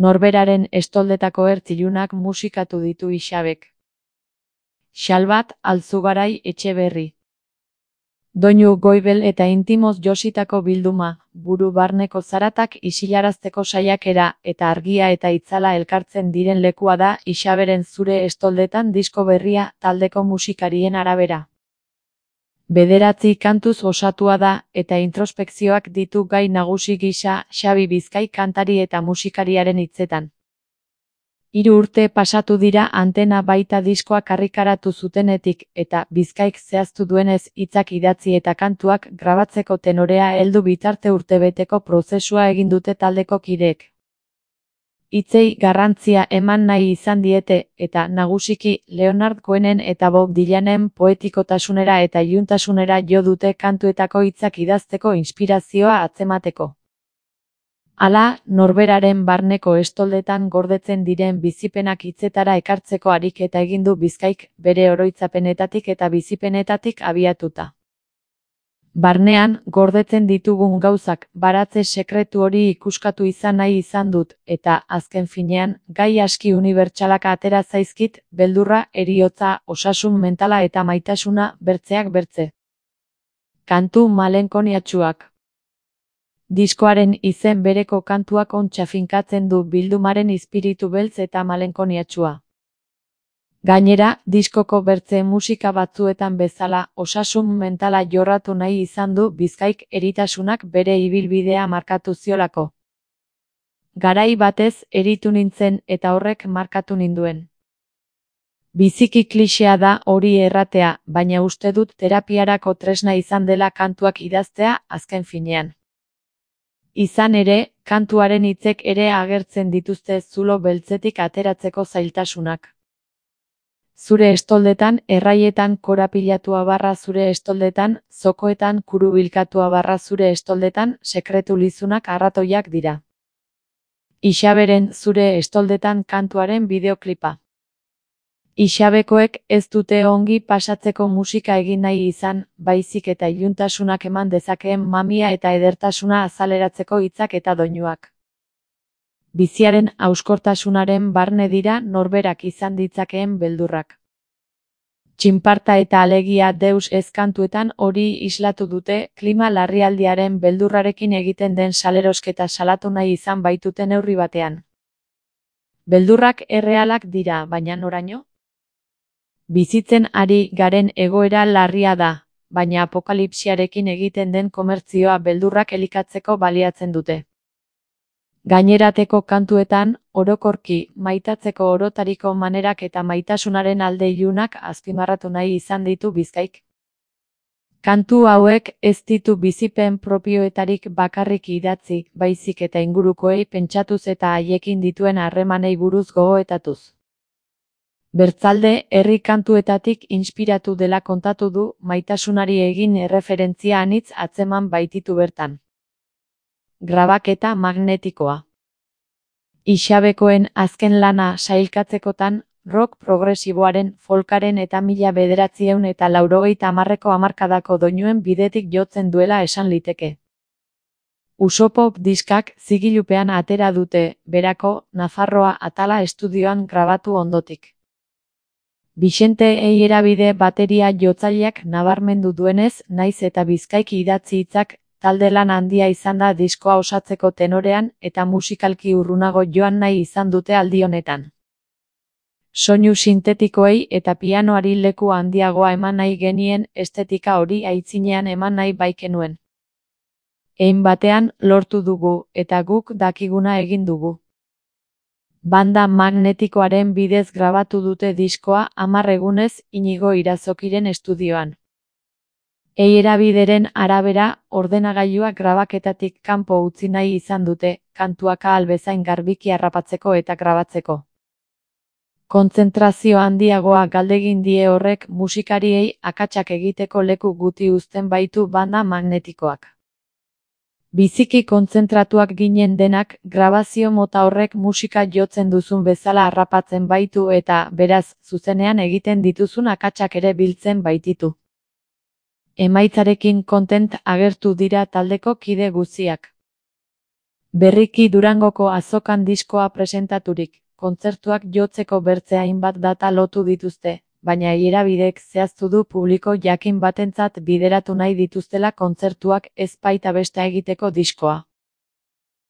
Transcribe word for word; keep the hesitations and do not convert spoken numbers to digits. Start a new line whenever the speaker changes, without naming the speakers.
Norberaren estoldetako ertz ilunak musikatu ditu Ixabek. Xalbat Alzugarai Etxeberri. Doinu goibel eta intimoz jositako bilduma, buru barneko zaratak isilarazteko saiakera eta argia eta itzala elkartzen diren lekua da Ixaberen Zure Estoldetan disko berria taldeko musikarien arabera. Bederatzi kantuz osatua da eta introspekzioak ditu gai nagusi gisa Xabi Bizkai kantari eta musikariaren hitzetan. Hiru urte pasatu dira Antena baita diskoa karrikaratu zutenetik eta Bizkaik zehaztu duenez hitzak idatzi eta kantuak grabatzeko tenorea heldu bitarte urtebeteko prozesua egin dute taldeko kideek. Hitzei garrantzia eman nahi izan diete eta nagusiki Leonard Cohenen eta Bob Dylanen poetikotasunera eta iluntasunera jo dute kantuetako hitzak idazteko inspirazioa atzemateko. Hala, norberaren barneko estoldetan gordetzen diren bizipenak hitzetara ekartzeko ariketa egin du Bizkaik bere oroitzapenetatik eta bizipenetatik abiatuta. Barnean, gordetzen ditugun gauzak baratze sekretu hori ikuskatu izan nahi izan dut, eta azken finean, gai aski unibertsalak atera zaizkit, beldurra, heriotza, osasun mentala eta maitasuna bertzeak bertze. Kantu malenkoniatsuak. Diskoaren izen bereko kantuak ontsa finkatzen du bildumaren izpiritu beltz eta malenkoniatsua. Gainera, diskoko bertze musika batzuetan bezala osasun mentala jorratu nahi izan du Bizkaik eritasunak bere ibilbidea markatu ziolako. Garai batez eritu nintzen eta horrek markatu ninduen. Biziki klixea da hori erratea, baina uste dut terapiarako tresna izan dela kantuak idaztea azken finean. Izan ere, kantuaren hitzek ere agertzen dituzte zulo beltzetik ateratzeko zailtasunak. Zure estoldetan, erraietan korapilatua barra zure estoldetan, zokoetan kurubilkatua barra zure estoldetan, sekretu lizunak arratoiak dira. Ixaberen Zure Estoldetan kantuaren bideoklipa. Ixabekoek ez dute ongi pasatzeko musika egin nahi izan, baizik eta iluntasunak eman dezakeen mamia eta edertasuna azaleratzeko hitzak eta doinuak. Biziaren hauskortasunaren barne dira norberak izan ditzakeen beldurrak. Txinparta eta alegia deus ez kantuetan hori islatu dute, klima larrialdiaren beldurrarekin egiten den salerosketa salatu nahi izan baitute neurri batean. Beldurrak errealak dira, baina noraino? Bizitzen ari garen egoera larria da, baina apokalipsiarekin egiten den komertzioa beldurrak elikatzeko baliatzen dute. Gainerateko kantuetan, orokorki, maitatzeko orotariko manerak eta maitasunaren alde ilunak azpimarratu nahi izan ditu Bizkaik. Kantu hauek ez ditu bizipen propioetarik bakarrik idatzi, baizik eta ingurukoei pentsatuz eta haiekin dituen harremanei buruz gogoetatuz. Bertzalde, herri kantuetatik inspiratu dela kontatu du, maitasunari egin erreferentzia anitz atzeman baititu bertan. Grabaketa magnetikoa. Ixabekoen azken lana sailkatzekotan, rock progresiboaren, folkaren eta mila bederatziehun eta laurogeita hamarreko hamarkadako doinuen bidetik jotzen duela esan liteke. Usopop diskak zigilupean atera dute, berako, Nafarroa atala estudioan grabatu ondotik. Bixente Eierabide bateria jotzaileak nabarmendu duenez, naiz eta Bizkaiki idatzi hitzak, talde lan handia izan da diskoa osatzeko tenorean eta musikalki urrunago joan nahi izan dute aldi honetan. Soinu sintetikoei eta pianoari leku handiagoa eman nahi genien estetika hori aitzinean eman nahi baikenuen. Hein batean lortu dugu eta guk dakiguna egin dugu. Banda magnetikoaren bidez grabatu dute diskoa hamar egunez Inigo Irazokiren estudioan. Eierabideren arabera, ordenagailuak grabaketatik kanpo utzi nahi izan dute, kantuak ahal bezain garbiki harrapatzeko eta grabatzeko. Kontzentrazio handiagoa galdegin die horrek musikariei akatsak egiteko leku guti uzten baitu banda magnetikoak. Biziki kontzentratuak ginen denak, grabazio mota horrek musika jotzen duzun bezala harrapatzen baitu eta, beraz, zuzenean egiten dituzun akatsak ere biltzen baititu. Emaitzarekin kontent agertu dira taldeko kide guztiak. Berriki Durangoko azokan diskoa presentaturik, kontzertuak jotzeko bertze hainbat data lotu dituzte, baina erabideek zehaztu du publiko jakin batentzat bideratu nahi dituztela kontzertuak ez baita besta egiteko diskoa.